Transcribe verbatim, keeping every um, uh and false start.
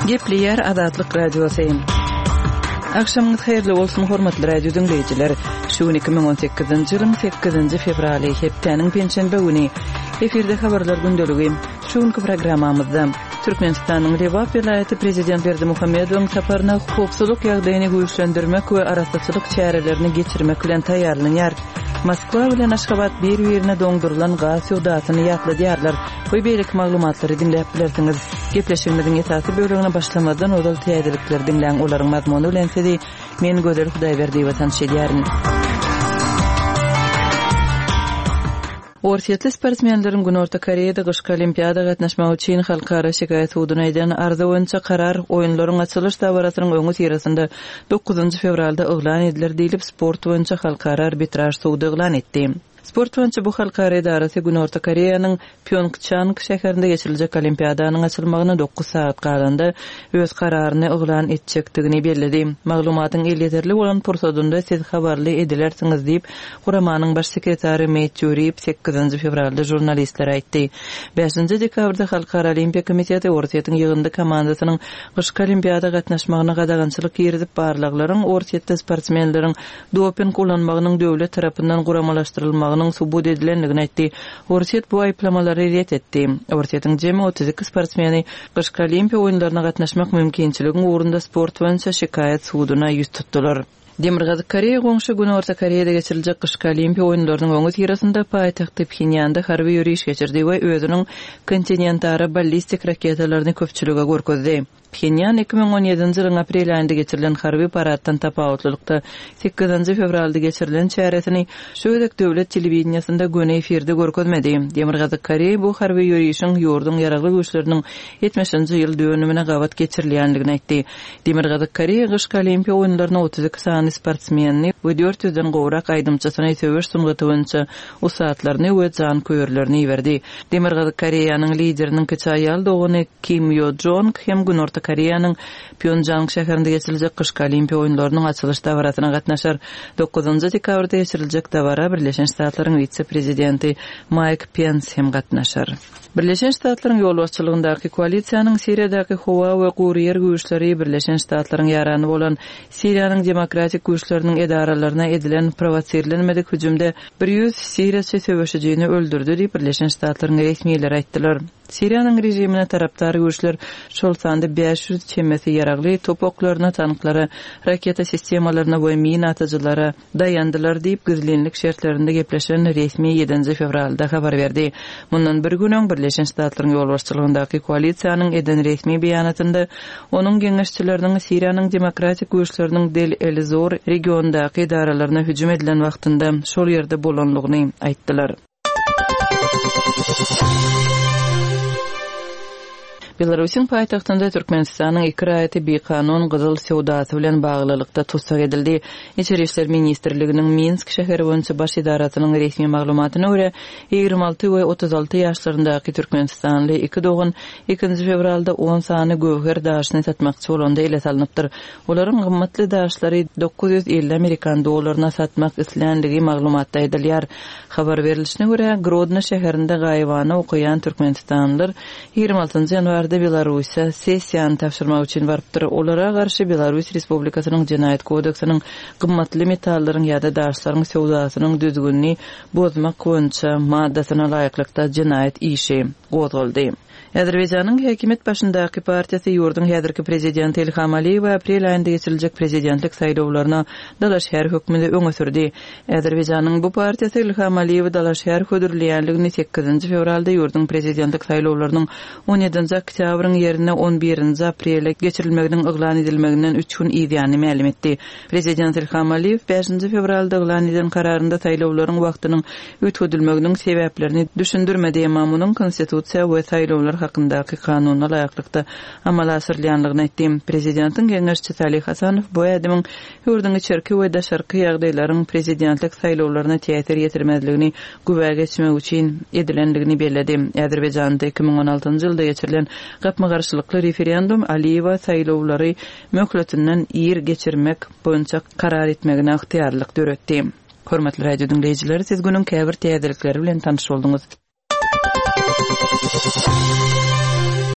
Gepleýär Azatlyk Radiosy. Agşamyňyz haýyrly bolsun, hormatly radio diňleýjiler. Şu gün iki müň on sekizinji ýylyň sekizinji fewraly, hepdäniň penşenbe güni. Efirde habarlar gündeligi. Şu günki programmamyzda Türkmenistanyň Lebap welaýaty prezident Berdimuhamedowyň saparyna howpsuzlyk ýagdaýyny güýçlendirmek we arassaçylyk çärelerini geçirmek bilen taýýarlanýar. Moskwa bilen Aşgabat bir-birine doňdurylan gaz söwdasyny ýatladýarlar we beýleki maglumatlary diňläp bilersiňiz. Gepleşigimiziň esasy bölegine başlamazdan ozal täzelikleri diňläň, olaryň mazmuny bilen sizi men Gözel Hudaýberdiýewa tanyş edýärin. Orsýetli sportsmenleriň Günorta Koreýada gyşky olimpiada gatnaşmagy üçin halkara şikaýat suduna eden arza boýunça karar oýunlaryň açylyş dabarasynyň öňüsyrasynda dokuzynjy fewralda yglan ediler diýlip, sport boýunça halkara arbitraž sudy yglan etdi. Sport boýunça bu halkara edarasy Günorta Koreýanyň Pýongçang şäherinde geçiriljek olimpiadanyň açylmagyna dokuz sagat galanda öz kararyny yglan etjekdigini belledi. Maglumatyň elýeterli bolan pursadynda siz habarly edilersiňiz diýip, guramanyň baş sekretary Meýtýu Rip sekizinji fewralda žurnalistlere aýtdy. Bäşinji dekabrda Halkara Olimpiýa komiteti Orsýetiň ýygyndy komandasynyň gyşky olimpiada gatnaşmagyna gadagançylyk girizip, barlaglaryň Orsýetde sportsmenleriň doping ulanmagynyň döwlet tarapyndan guramalaşdyrylmagynyň subut edilendigini aýtdy. Orsýet bu aýyplamalary ret etdi. Orsýetiň jemi otuz iki sportsmeni gyşky olimpiýa oýunlaryna gatnaşmak mümkinçiligiň ugrunda sport boýunça şikaýat suduna ýüz tutdular. Demirgazyk Koreýa goňşy Günorta Koreýada geçiriljek gyşky olimpiýa oýunlarynyň öňüsyrasynda paýtagty Phenýanda harby ýöriş geçirdi we özüniň kontinentara ballistik raketalaryny köpçülige görkezdi. Phenýan iki müň on ýedinji ýylyň aprel aýynda geçirilen harby paraddan tapawutlylykda sekizinji fewralda geçirilen çäresini şu gezek döwlet telewideniýasynda göni efirde görkezmedi. Demirgazyk Koreýa bu harby ýörişiň ýurduň ýaragly güýçleriniň ýetmişinji ýyl dönümine gabat geçirilýändigini aýtdy. Demirgazyk Koreýa gyşky olimpiýa oýunlaryna otuz iki sany sportsmenini we dört ýüzden gowrak aýdymçysyny söweş sungaty boýunça ussatlaryny we janköýerlerini iberdi. Demirgazyk Koreýanyň lideriniň kiçi aýal dogany Kim Yo Jong hem Günorta Koreýanyň Pýongjang şäherinde geçiriljek gyşky olimpiýa oýunlarynyň açylyş dabarasyna gatnaşar. Dokuzynjy dekabrda geçiriljek dabara Birleşen Ştatlaryň wise-prezidenti Maýk Pens hem gatnaşar. Birleşen Ştatlaryň ýolbaşçylygyndaky koalisiýanyň Siriýadaky howa we gury ýer güýçleri Birleşen Ştatlaryň ýarany bolan Siriýanyň demokratik güýçleriniň edaralaryna edilen provosirlenmedik hüjümde bir ýüz siriýaçy söweşijini öldürdi diýip Birleşen Ştatlaryň resmileri aýtdylar. Siriýanyň rejimine tarapdar güýçler şol sanda bäş ýüz çemesi ýaragly top oklaryna, tanklara, raketa sistemalaryna we mina atyjylara daýandylar diýip gizlinlik şertlerinde gepleşen resmi ýedinji fewralda habar berdi. Mundan bir gün öň Birleşen Ştatlaryň ýolbaşçylygyndaky koalisiýanyň eden resmi beýanatynda onuň geňeşçileriniň Siriýanyň demokratik güýçleriniň Del El-Zor regiondaky edaralaryna hüjüm edilen wagtynda şol ýerde bolanlygyny aýtdylar. Belarusyň paýtagtynda Türkmenistanyň iki raýaty bikanun gyzyl söwdasy bilen baglylykda tussag edildi. Içeri İşler Ministrliginiň Minsk şäheri boýunça baş edarasynyň resmi maglumatyna görä, ýigrimi alty we otuz alty ýaşlaryndaky Türkmenistanly iki dogan ikinji fewralda on sany göwher daşyny satmakçy bolanda ele salnypdyr. Olaryň gymmatly daşlary dokuz ýüz elli amerikan dollaryna satmak islänligi maglumatda aýdylýar. Habar berilişine görä, Grodno şäherinde gaýybana okaýan Türkmenistanlylar ýigrimi altynjy ýanwarda Belarusiýa sessiýany tabşyrmak üçin barypdyr. Olara garşy Belarus Respublikasynyň Jenaýat kodeksiniň gymmatly metallaryň ýa-da daşlaryň söwdasynyň düzgünini bozmak boýunça maddasyna laýyklykda jenaýat işi gozgaldy. Azerbaýjanyň häkimiýet başyndaky partiýasy ýurduň häzirki prezidenti Ilham Aliýew aprel aýynda geçiriljek prezidentlik saýlawlaryna dalaşgär hökmünde öňe sürdi. Azerbaýjanyň bu partiýasy Ilham Aliýewi dalaşgär hödürleýänligini sekizinji fewralda ýurduň prezidentlik saýlawlarynyň on ýedinji oktýabryň ýerine on birinji aprele geçirilmeginiň yglan edilmeginden üç gün ýany mälim etdi. Prezident Ilham Aliýew bäşinji fewralda yglan eden kararynda saýlawlaryň wagtynyň üýtgedilmeginiň sebäplerini düşündirmedi, emma munuň konstitusiýa we saýlawlar hakyndaky kanuna laýyklykda amala aşyrylýanlygyny aýtdy. Prezidentiň geňeşçisi Ali Hasanow bu ädimiň ýurduň içerki we daşarky ýagdaýlaryň prezidentlik saýlawlaryna täsir ýetirmezligini güwä geçmek üçin edilenligini belledi. Azerbaýjanda iki müň on altynjy ýylda geçirilen gapma-garşylykly referendum Aliýewa saýlawlary möhletinden ir geçirmek boýunça karar etmegine ygtyýarlyk döretdi. Hormatly radio diňleýjiler, siz günüň käbir täzelikleri bilen tanyş bolduňyz.